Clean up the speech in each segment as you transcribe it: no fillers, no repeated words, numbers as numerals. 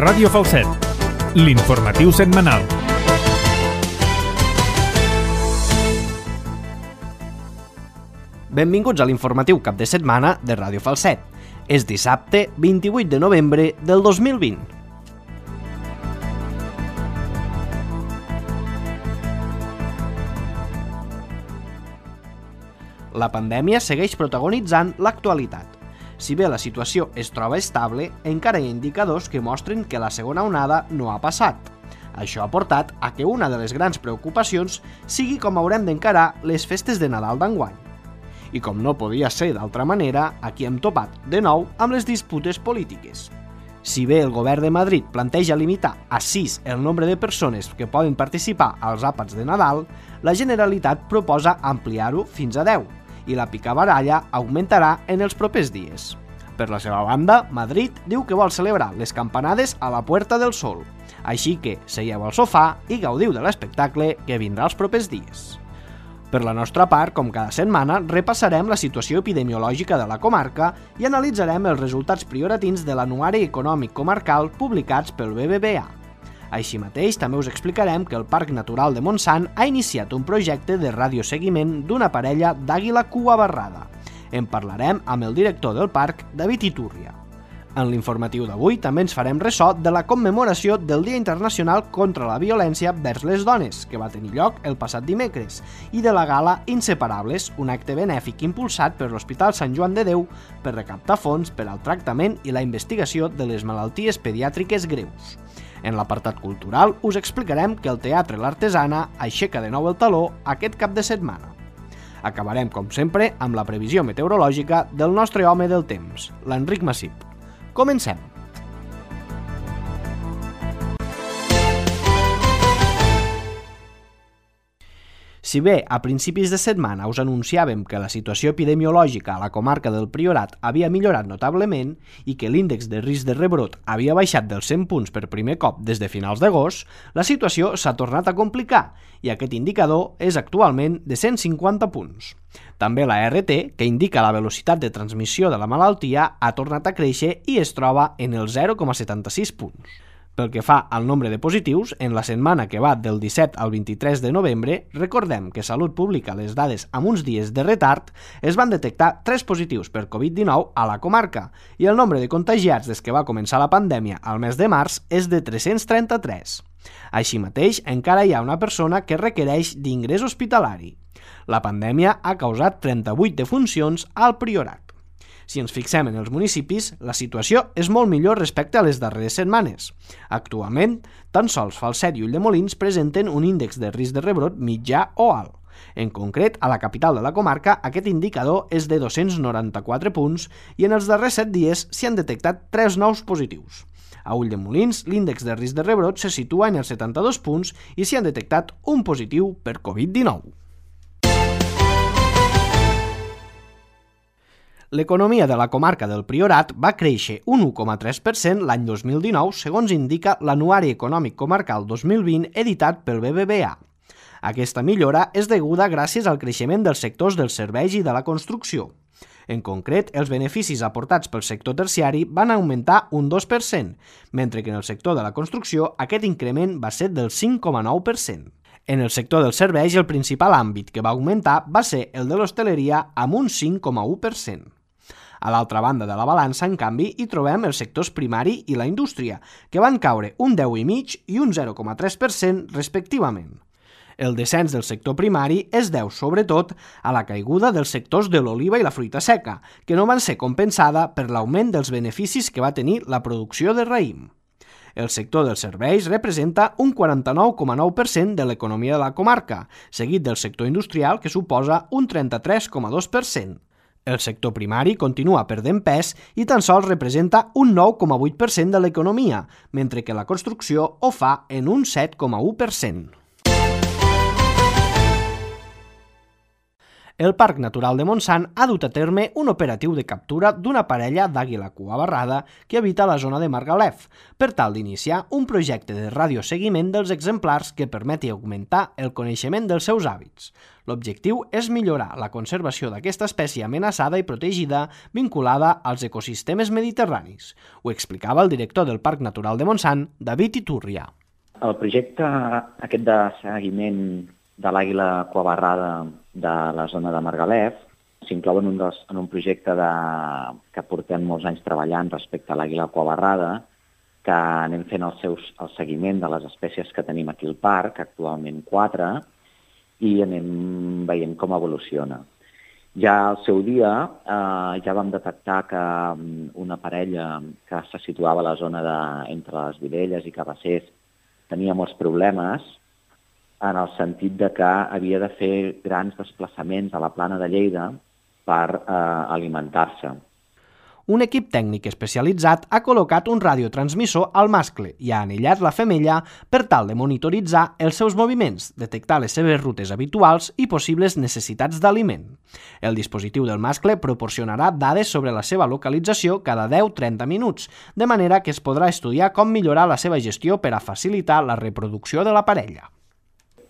Ràdio Falset, l'informatiu setmanal. Benvinguts a l'informatiu cap de setmana de Ràdio Falset. És dissabte 28 de novembre del 2020. La pandèmia segueix protagonitzant l'actualitat. Si bé la situació es troba estable, encara hi ha indicadors que mostren que la segona onada no ha passat. Això ha portat a que una de les grans preocupacions sigui com haurem d'encarar les festes de Nadal d'enguany. I com no podia ser d'altra manera, aquí hem topat de nou amb les disputes polítiques. Si bé el govern de Madrid planteja limitar a 6 el nombre de persones que poden participar als àpats de Nadal, la Generalitat proposa ampliar-ho fins a 10 i la picabaralla augmentarà en els propers dies. Per la seva banda, Madrid diu que vol celebrar les campanades a la Puerta del Sol, així que seieu al sofà i gaudiu de l'espectacle que vindrà els propers dies. Per la nostra part, com cada setmana, repassarem la situació epidemiològica de la comarca i analitzarem els resultats prioratins de l'Anuari Econòmic Comarcal publicats pel BBVA. Així mateix, també us explicarem que el Parc Natural de Montsant ha iniciat un projecte de radioseguiment d'una parella d'àguila cuabarrada. En parlarem amb el director del parc, David Iturria. En l'informatiu d'avui també ens farem ressò de la commemoració del Dia Internacional contra la Violència vers les Dones, que va tenir lloc el passat dimecres, i de la gala Inseparables, un acte benèfic impulsat per l'Hospital Sant Joan de Déu per recaptar fons per al tractament i la investigació de les malalties pediàtriques greus. En l'apartat cultural us explicarem que el Teatre L'Artesana aixeca de nou el taló aquest cap de setmana. Acabarem, com sempre, amb la previsió meteorològica del nostre home del temps, l'Enric Massip. Comencem! Si bé a principis de setmana us anunciàvem que la situació epidemiològica a la comarca del Priorat havia millorat notablement i que l'índex de risc de rebrot havia baixat dels 100 punts per primer cop des de finals d'agost, la situació s'ha tornat a complicar i aquest indicador és actualment de 150 punts. També la RT, que indica la velocitat de transmissió de la malaltia, ha tornat a créixer i es troba en el 0,76 punts. Pel que fa al nombre de positius, en la setmana que va del 17 al 23 de novembre, recordem que Salut publica les dades amb uns dies de retard, es van detectar 3 positius per Covid-19 a la comarca i el nombre de contagiats des que va començar la pandèmia al mes de març és de 333. Així mateix, encara hi ha una persona que requereix d'ingrés hospitalari. La pandèmia ha causat 38 defuncions al Priorat. Si ens fixem en els municipis, la situació és molt millor respecte a les darreres setmanes. Actualment, tan sols Falset i Ulldemolins presenten un índex de risc de rebrot mitjà o alt. En concret, a la capital de la comarca, aquest indicador és de 294 punts i en els darrers 7 dies s'hi han detectat 3 nous positius. A Ulldemolins, l'índex de risc de rebrot se situa en els 72 punts i s'hi han detectat un positiu per Covid-19. L'economia de la comarca del Priorat va créixer un 1,3% l'any 2019, segons indica l'Anuari Econòmic Comarcal 2020 editat pel BBVA. Aquesta millora és deguda gràcies al creixement dels sectors dels serveis i de la construcció. En concret, els beneficis aportats pel sector terciari van augmentar un 2%, mentre que en el sector de la construcció aquest increment va ser del 5,9%. En el sector dels serveis, el principal àmbit que va augmentar va ser el de l'hostaleria amb un 5,1%. A l'altra banda de la balança, en canvi, hi trobem els sectors primari i la indústria, que van caure un 10,5% i un 0,3% respectivament. El descens del sector primari es deu, sobretot, a la caiguda dels sectors de l'oliva i la fruita seca, que no van ser compensada per l'augment dels beneficis que va tenir la producció de raïm. El sector dels serveis representa un 49,9% de l'economia de la comarca, seguit del sector industrial, que suposa un 33,2%. El sector primari continua perdent pes i tan sols representa un 9,8% de l'economia, mentre que la construcció ho fa en un 7,1%. el Parc Natural de Montsant ha dut a terme un operatiu de captura d'una parella d'àguila cua barrada que habita a la zona de Margalef, per tal d'iniciar un projecte de radioseguiment dels exemplars que permeti augmentar el coneixement dels seus hàbits. L'objectiu és millorar la conservació d'aquesta espècie amenaçada i protegida vinculada als ecosistemes mediterranis. Ho explicava el director del Parc Natural de Montsant, David Iturria. El projecte aquest de seguiment de l'àguila cuabarrada de la zona de Margalef s'inclou en un projecte que portem molts anys treballant respecte a l'àguila cuabarrada, que anem fent el seguiment de les espècies que tenim aquí al parc, actualment 4, i anem veient com evoluciona. Ja al seu dia ja vam detectar que una parella que se situava a la zona entre les Vilelles i Cabassers tenia molts problemes en el sentit de que havia de fer grans desplaçaments a la plana de Lleida per alimentar-se. Un equip tècnic especialitzat ha col·locat un radiotransmissor al mascle i ha anellat la femella per tal de monitoritzar els seus moviments, detectar les seves rutes habituals i possibles necessitats d'aliment. El dispositiu del mascle proporcionarà dades sobre la seva localització cada 10-30 minuts, de manera que es podrà estudiar com millorar la seva gestió per a facilitar la reproducció de la parella.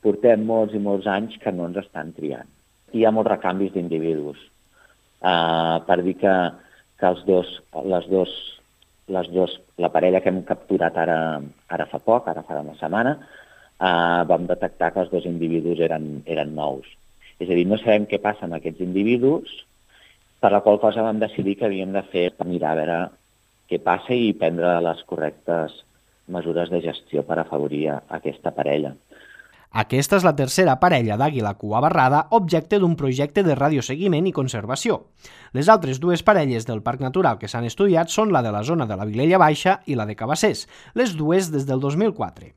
Portem molts i molts anys que no ens estan triant. Hi ha molts recanvis d'individus. Per dir que la parella que hem capturat ara fa poc, ara fa una setmana, vam detectar que els dos individus eren nous. És a dir, no sabem què passa amb aquests individus, per la qual cosa vam decidir que havíem de mirar a veure què passa i prendre les correctes mesures de gestió per afavorir aquesta parella. Aquesta és la tercera parella d'àguila cua barrada objecte d'un projecte de radioseguiment i conservació. Les altres dues parelles del Parc Natural que s'han estudiat són la de la zona de la Vilella Baixa i la de Cabassers, les dues des del 2004.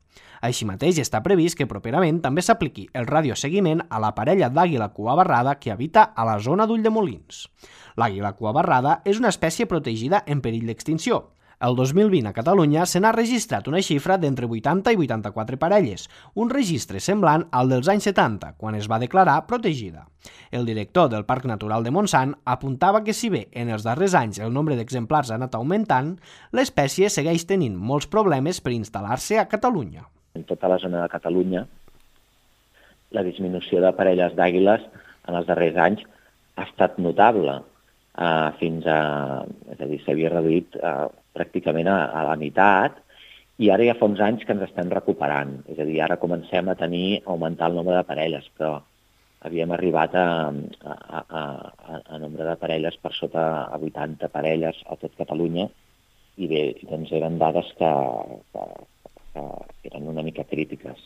Així mateix està previst que properament també s'apliqui el radioseguiment a la parella d'àguila cua barrada que habita a la zona d'Ulldemolins. L'àguila cua barrada és una espècie protegida en perill d'extinció. El 2020 a Catalunya se n'ha registrat una xifra d'entre 80 i 84 parelles, un registre semblant al dels anys 70, quan es va declarar protegida. El director del Parc Natural de Montsant apuntava que si bé en els darrers anys el nombre d'exemplars ha anat augmentant, l'espècie segueix tenint molts problemes per instal·lar-se a Catalunya. En tota la zona de Catalunya, la disminució de parelles d'àguiles en els darrers anys ha estat notable. És a dir, s'havia reduït pràcticament a la meitat i ara ja fa uns anys que ens estem recuperant. És a dir, ara comencem a augmentar el nombre de parelles, però havíem arribat a nombre de parelles per sota a 80 parelles a tot Catalunya i bé, doncs eren dades que eren una mica crítiques.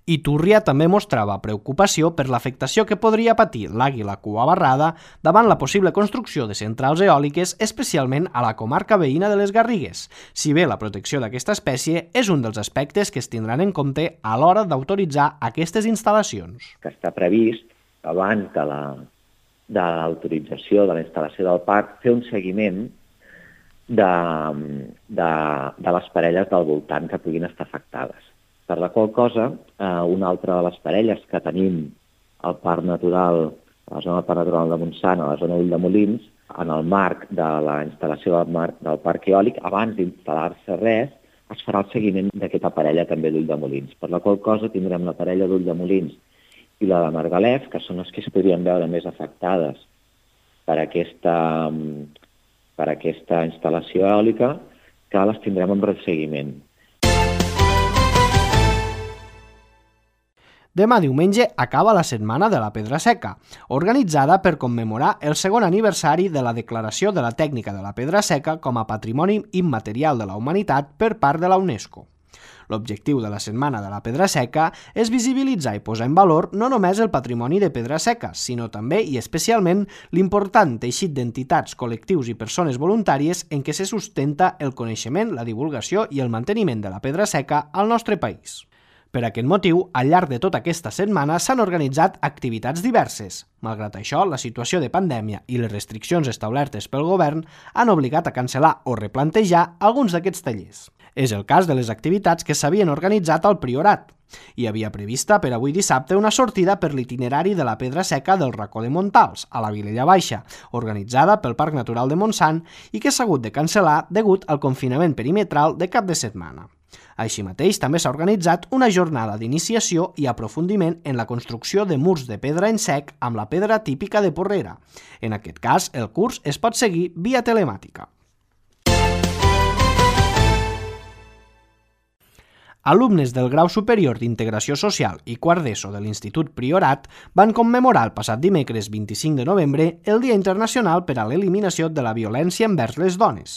Iturria també mostrava preocupació per l'afectació que podria patir l'àguila cua barrada davant la possible construcció de centrals eòliques, especialment a la comarca veïna de les Garrigues, si bé la protecció d'aquesta espècie és un dels aspectes que es tindran en compte a l'hora d'autoritzar aquestes instal·lacions. Que està previst, abans de l'autorització de la instal·lació del parc, fer un seguiment de les parelles del voltant que puguin estar afectades. Per la qual cosa, una altra de les parelles que tenim al Parc Natural, a la zona del Parc Natural de Montsant, a la zona d'Ulldemolins, en el marc de la instal·lació del parc eòlic, abans d'instal·lar-se res, es farà el seguiment d'aquesta parella també d'Ulldemolins. Per la qual cosa tindrem la parella d'Ulldemolins i la de Margalef, que són les que es podrien veure més afectades per aquesta instal·lació eòlica, que les tindrem en resseguiment. Demà diumenge acaba la Setmana de la Pedra Seca, organitzada per commemorar el segon aniversari de la declaració de la tècnica de la pedra seca com a Patrimoni Immaterial de la Humanitat per part de la UNESCO. L'objectiu de la Setmana de la Pedra Seca és visibilitzar i posar en valor no només el patrimoni de pedra seca, sinó també i especialment l'important teixit d'entitats, col·lectius i persones voluntàries en què se sustenta el coneixement, la divulgació i el manteniment de la pedra seca al nostre país. Per aquest motiu, al llarg de tota aquesta setmana s'han organitzat activitats diverses. Malgrat això, la situació de pandèmia i les restriccions establertes pel govern han obligat a cancel·lar o replantejar alguns d'aquests tallers. És el cas de les activitats que s'havien organitzat al Priorat. Hi havia prevista per avui dissabte una sortida per l'itinerari de la Pedra Seca del Racó de Montals, a la Vilella Baixa, organitzada pel Parc Natural de Montsant i que s'ha hagut de cancel·lar degut al confinament perimetral de cap de setmana. Així mateix, també s'ha organitzat una jornada d'iniciació i aprofundiment en la construcció de murs de pedra en sec amb la pedra típica de Porrera. En aquest cas, el curs es pot seguir via telemàtica. Alumnes del Grau Superior d'Integració Social i quart d'ESO de l'Institut Priorat van commemorar el passat dimecres 25 de novembre el Dia Internacional per a l'Eliminació de la Violència envers les Dones.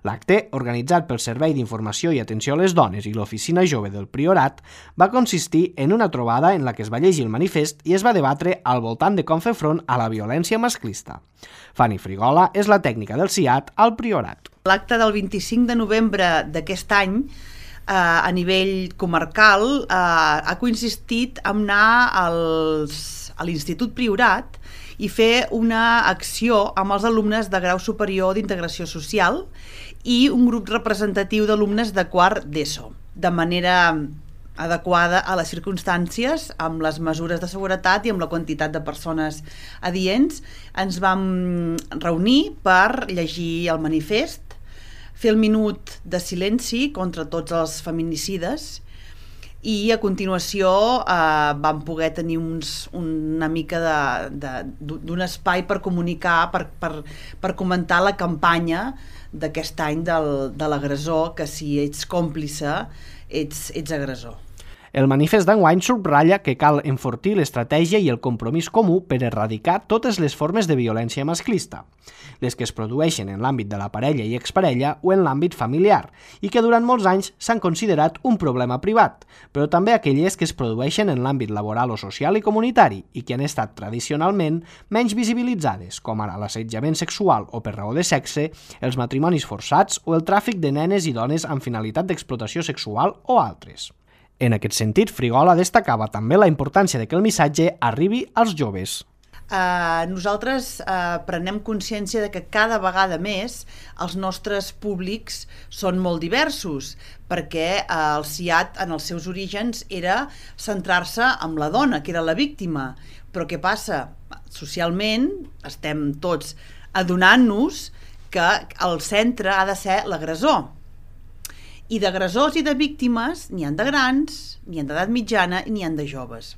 L'acte, organitzat pel Servei d'Informació i Atenció a les Dones i l'Oficina Jove del Priorat, va consistir en una trobada en la que es va llegir el manifest i es va debatre al voltant de com fer front a la violència masclista. Fanny Frigola és la tècnica del CIAT al Priorat. L'acte del 25 de novembre d'aquest any a nivell comarcal ha consistit en anar a l'Institut Priorat i fer una acció amb els alumnes de grau superior d'Integració Social i un grup representatiu d'alumnes de quart d'ESO, de manera adequada a les circumstàncies, amb les mesures de seguretat i amb la quantitat de persones adients. Ens vam reunir per llegir el manifest, fer el minut de silenci contra tots els feminicides i a continuació vam poder tenir una mica d'un espai per comunicar, per comentar la campanya d'aquest any de l'agressor, que si ets còmplice ets agressor. El manifest d'enguany subratlla que cal enfortir l'estratègia i el compromís comú per erradicar totes les formes de violència masclista, les que es produeixen en l'àmbit de la parella i exparella o en l'àmbit familiar, i que durant molts anys s'han considerat un problema privat, però també aquelles que es produeixen en l'àmbit laboral o social i comunitari i que han estat tradicionalment menys visibilitzades, com ara l'assetjament sexual o per raó de sexe, els matrimonis forçats o el tràfic de nenes i dones amb finalitat d'explotació sexual o altres. En aquest sentit, Frigola destacava també la importància de que el missatge arribi als joves. Nosaltres prenem consciència de que cada vegada més els nostres públics són molt diversos, perquè el CIAT en els seus orígens era centrar-se en la dona, que era la víctima. Però què passa? Socialment estem tots adonant-nos que el centre ha de ser l'agressor. I d'agressors i de víctimes n'hi han de grans, n'hi han d'edat mitjana i n'hi han de joves.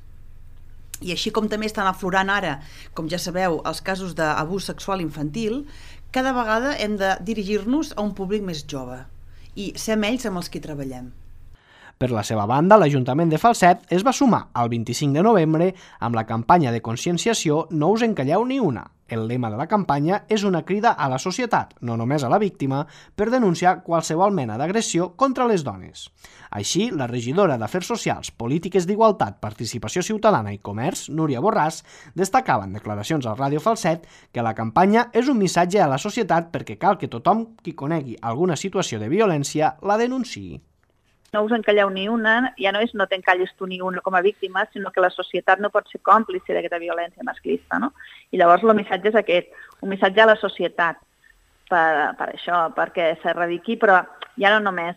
I així com també estan aflorant ara, com ja sabeu, els casos d'abús sexual infantil, cada vegada hem de dirigir-nos a un públic més jove i ser amb ells amb els que treballem. Per la seva banda, l'Ajuntament de Falset es va sumar el 25 de novembre amb la campanya de conscienciació No us en calleu ni una. El lema de la campanya és una crida a la societat, no només a la víctima, per denunciar qualsevol mena d'agressió contra les dones. Així, la regidora d'Afers Socials, Polítiques d'Igualtat, Participació Ciutadana i Comerç, Núria Borràs, destacava en declaracions al Ràdio Falset que la campanya és un missatge a la societat perquè cal que tothom qui conegui alguna situació de violència la denunciï. No us encalleu ni una, ja no és no t'encalles tu ni una com a víctima, sinó que la societat no pot ser còmplice d'aquesta violència masclista, no? I llavors el missatge és aquest, un missatge a la societat per això, perquè s'erradiqui, però ja no només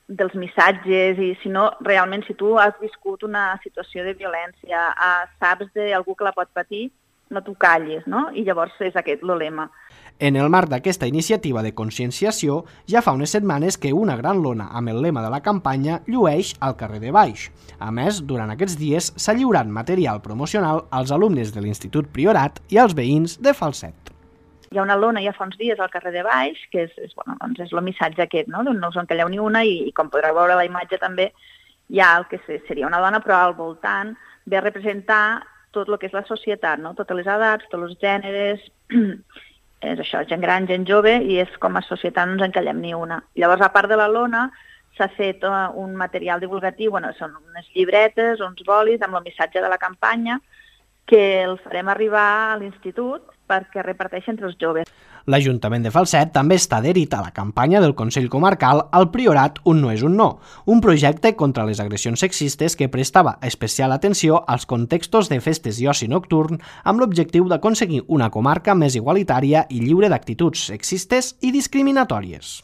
dels missatges, sinó realment si tu has viscut una situació de violència, saps d'algú que la pot patir, no t'ho callis, no? I llavors és aquest el lema. En el marc d'aquesta iniciativa de conscienciació, ja fa unes setmanes que una gran lona amb el lema de la campanya llueix al carrer de Baix. A més, durant aquests dies s'ha lliurat material promocional als alumnes de l'Institut Priorat i als veïns de Falset. Hi ha una lona ja fa uns dies al carrer de Baix, que és el missatge aquest, no? No us encalleu ni una, i com podreu veure a la imatge també hi ha el que seria una dona, però al voltant ve a representar tot el que és la societat, no? Totes les edats, tots els gèneres, és això, gent gran, gent jove, i és com a societat no ens encallem ni una. Llavors, a part de la lona, s'ha fet un material divulgatiu, són unes llibretes, uns bolis amb el missatge de la campanya, que el farem arribar a l'institut perquè reparteixi entre els joves. L'Ajuntament de Falset també està adherit a la campanya del Consell Comarcal Al Priorat un no és un no, un projecte contra les agressions sexistes que prestava especial atenció als contextos de festes i oci nocturn amb l'objectiu d'aconseguir una comarca més igualitària i lliure d'actituds sexistes i discriminatòries.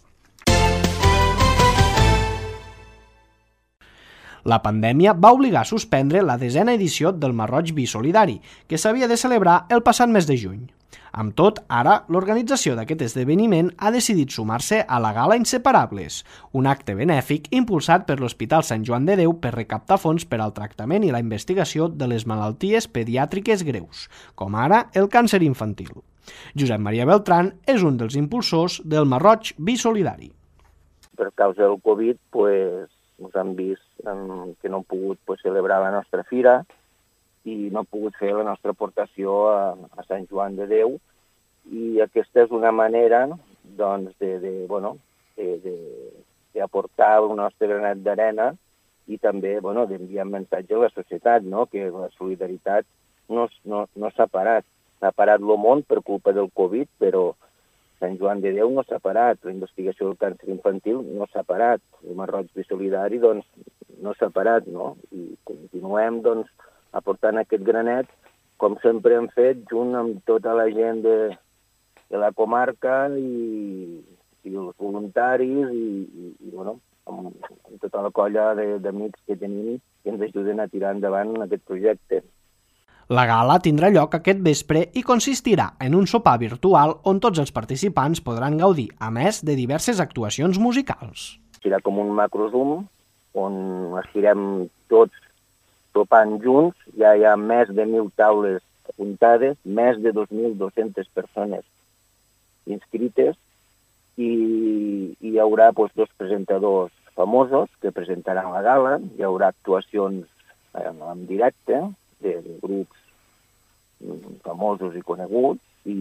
La pandèmia va obligar a suspendre la 10a edició del Marroig Bisolidari, que s'havia de celebrar el passat mes de juny. Amb tot, ara, l'organització d'aquest esdeveniment ha decidit sumar-se a la Gala Inseparables, un acte benèfic impulsat per l'Hospital Sant Joan de Déu per recaptar fons per al tractament i la investigació de les malalties pediàtriques greus, com ara el càncer infantil. Josep Maria Beltrán és un dels impulsors del Marroig Bisolidari. Per causa del Covid, ens han vist que no hem pogut celebrar la nostra fira i no hem pogut fer la nostra aportació a Sant Joan de Déu, i aquesta és una manera d'aportar el nostre granet d'arena i també d'enviar un missatge a la societat, que la solidaritat no s'ha parat. S'ha parat el món per culpa del Covid, però Sant Joan de Déu no s'ha parat, la investigació del càncer infantil no s'ha parat, el Marroig Bisolidari no s'ha parat, i continuem aportant aquest granet, com sempre hem fet, junt amb tota la gent de la comarca i els voluntaris i amb tota la colla d'amics que tenim que ens ajuden a tirar endavant aquest projecte. La gala tindrà lloc aquest vespre i consistirà en un sopar virtual on tots els participants podran gaudir, a més de diverses actuacions musicals. Serà com un macrozoom on estirem tots sopant junts, ja hi ha més de 1.000 taules apuntades, més de 2.200 persones inscrites i hi haurà dos presentadors famosos que presentaran la gala, hi haurà actuacions en directe de grups famosos i coneguts i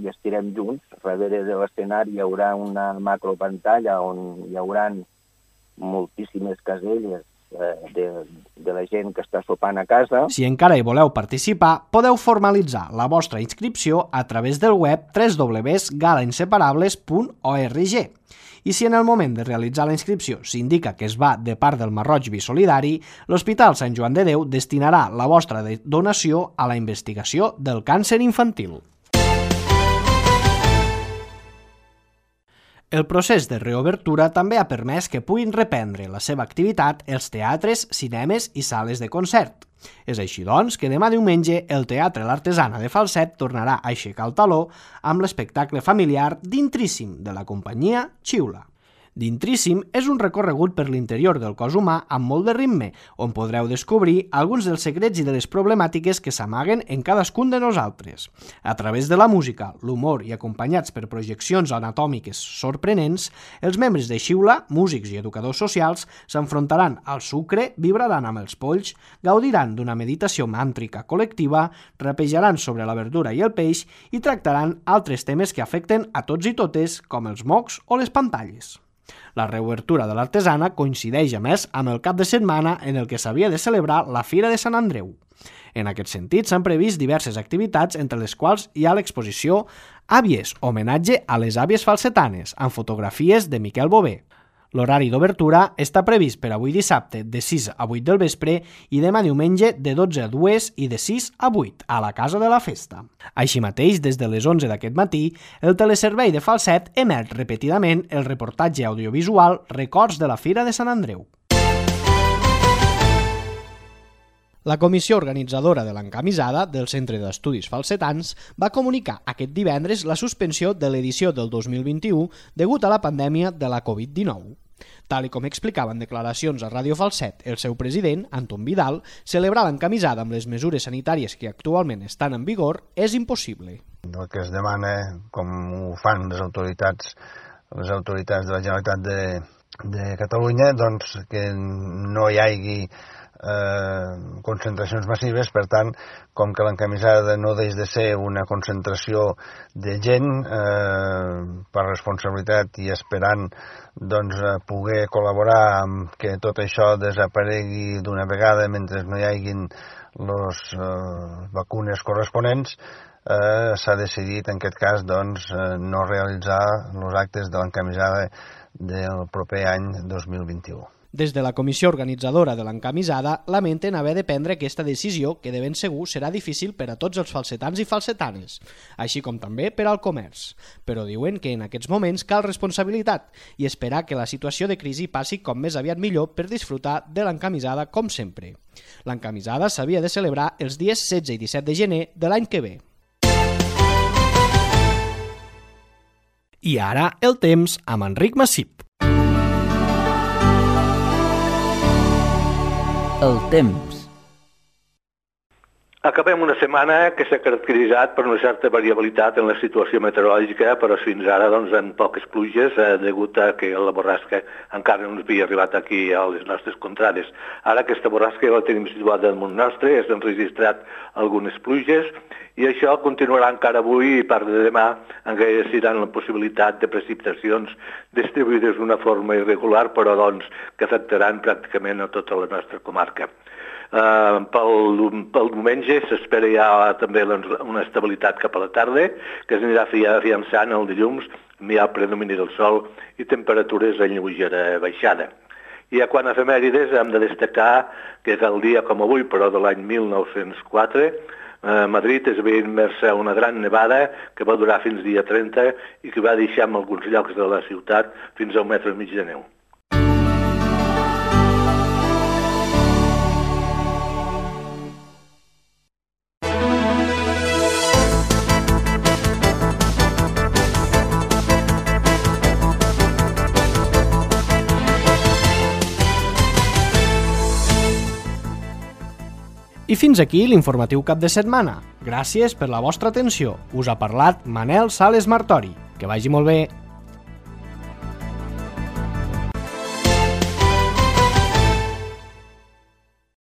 estirem junts. Darrere de l'escenari hi haurà una macropantalla on hi haurà moltíssimes caselles de la gent que està sopant a casa. Si encara hi voleu participar, podeu formalitzar la vostra inscripció a través del web www.galainseparables.org. I si en el moment de realitzar la inscripció s'indica que es va de part del Marroig Bisolidari, l'Hospital Sant Joan de Déu destinarà la vostra donació a la investigació del càncer infantil. El procés de reobertura també ha permès que puguin reprendre la seva activitat els teatres, cinemes i sales de concert. És així, doncs, que demà diumenge el Teatre L'Artesana de Falset tornarà a aixecar el taló amb l'espectacle familiar d'Intríssim, de la companyia Xiula. D'Intríssim és un recorregut per l'interior del cos humà amb molt de ritme, on podreu descobrir alguns dels secrets i de les problemàtiques que s'amaguen en cadascun de nosaltres. A través de la música, l'humor i acompanyats per projeccions anatòmiques sorprenents, els membres de Xiula, músics i educadors socials, s'enfrontaran al sucre, vibraran amb els polls, gaudiran d'una meditació màntrica col·lectiva, rapejaran sobre la verdura i el peix i tractaran altres temes que afecten a tots i totes, com els mocs o les pantalles. La reobertura de l'Artesana coincideix, a més, amb el cap de setmana en el que s'havia de celebrar la Fira de Sant Andreu. En aquest sentit, s'han previst diverses activitats, entre les quals hi ha l'exposició Àvies, homenatge a les àvies falsetanes, amb fotografies de Miquel Bové. L'horari d'obertura està previst per avui dissabte de 6 a 8 del vespre i demà diumenge de 12 a 2 i de 6 a 8 a la Casa de la Festa. Així mateix, des de les 11 d'aquest matí, el teleservei de Falset emet repetidament el reportatge audiovisual Records de la Fira de Sant Andreu. La comissió organitzadora de l'encamisada del Centre d'Estudis Falsetans va comunicar aquest divendres la suspensió de l'edició del 2021 degut a la pandèmia de la Covid-19. Tal com explicava en declaracions a Ràdio Falset el seu president, Anton Vidal, celebrar l'encamisada amb les mesures sanitàries que actualment estan en vigor és impossible. El que es demana, com ho fan les autoritats de la Generalitat de Catalunya, doncs que no hi hagi concentracions massives, per tant, com que l'encamisada no deix de ser una concentració de gent per responsabilitat i esperant poder col·laborar amb que tot això desaparegui d'una vegada mentre no hi hagin les vacunes corresponents, s'ha decidit en aquest cas doncs, no realitzar els actes de l'encamisada del proper any 2021. Des de la comissió organitzadora de l'encamisada lamenten haver de prendre aquesta decisió que de ben segur serà difícil per a tots els falsetans i falsetanes, així com també per al comerç. Però diuen que en aquests moments cal responsabilitat i esperar que la situació de crisi passi com més aviat millor per disfrutar de l'encamisada com sempre. L'encamisada s'havia de celebrar els dies 16 i 17 de gener de l'any que ve. I ara el temps amb Enric Massip. El temps. Acabem una setmana que s'ha caracteritzat per una certa variabilitat en la situació meteorològica, però fins ara amb poques pluges, degut a que la borrasca encara no ens havia arribat aquí a les nostres contrades. Ara aquesta borrasca ja la tenim situada damunt nostre, s'han registrat algunes pluges i això continuarà encara avui i part de demà, encara hi ha la possibilitat de precipitacions distribuïdes d'una forma irregular, però que afectaran pràcticament a tota la nostra comarca. Pel diumenge s'espera ja també una estabilitat cap a la tarda, que s'anirà afiançant el dilluns, hi ha predomini del sol i temperatures en lleugera baixada. I a quant a efemèrides hem de destacar que el dia com avui, però de l'any 1904, Madrid es veia immersa a una gran nevada que va durar fins dia 30 i que va deixar en alguns llocs de la ciutat fins a 1,5 metres de neu. I fins aquí l'informatiu cap de setmana. Gràcies per la vostra atenció. Us ha parlat Manel Sales Martori. Que vagi molt bé.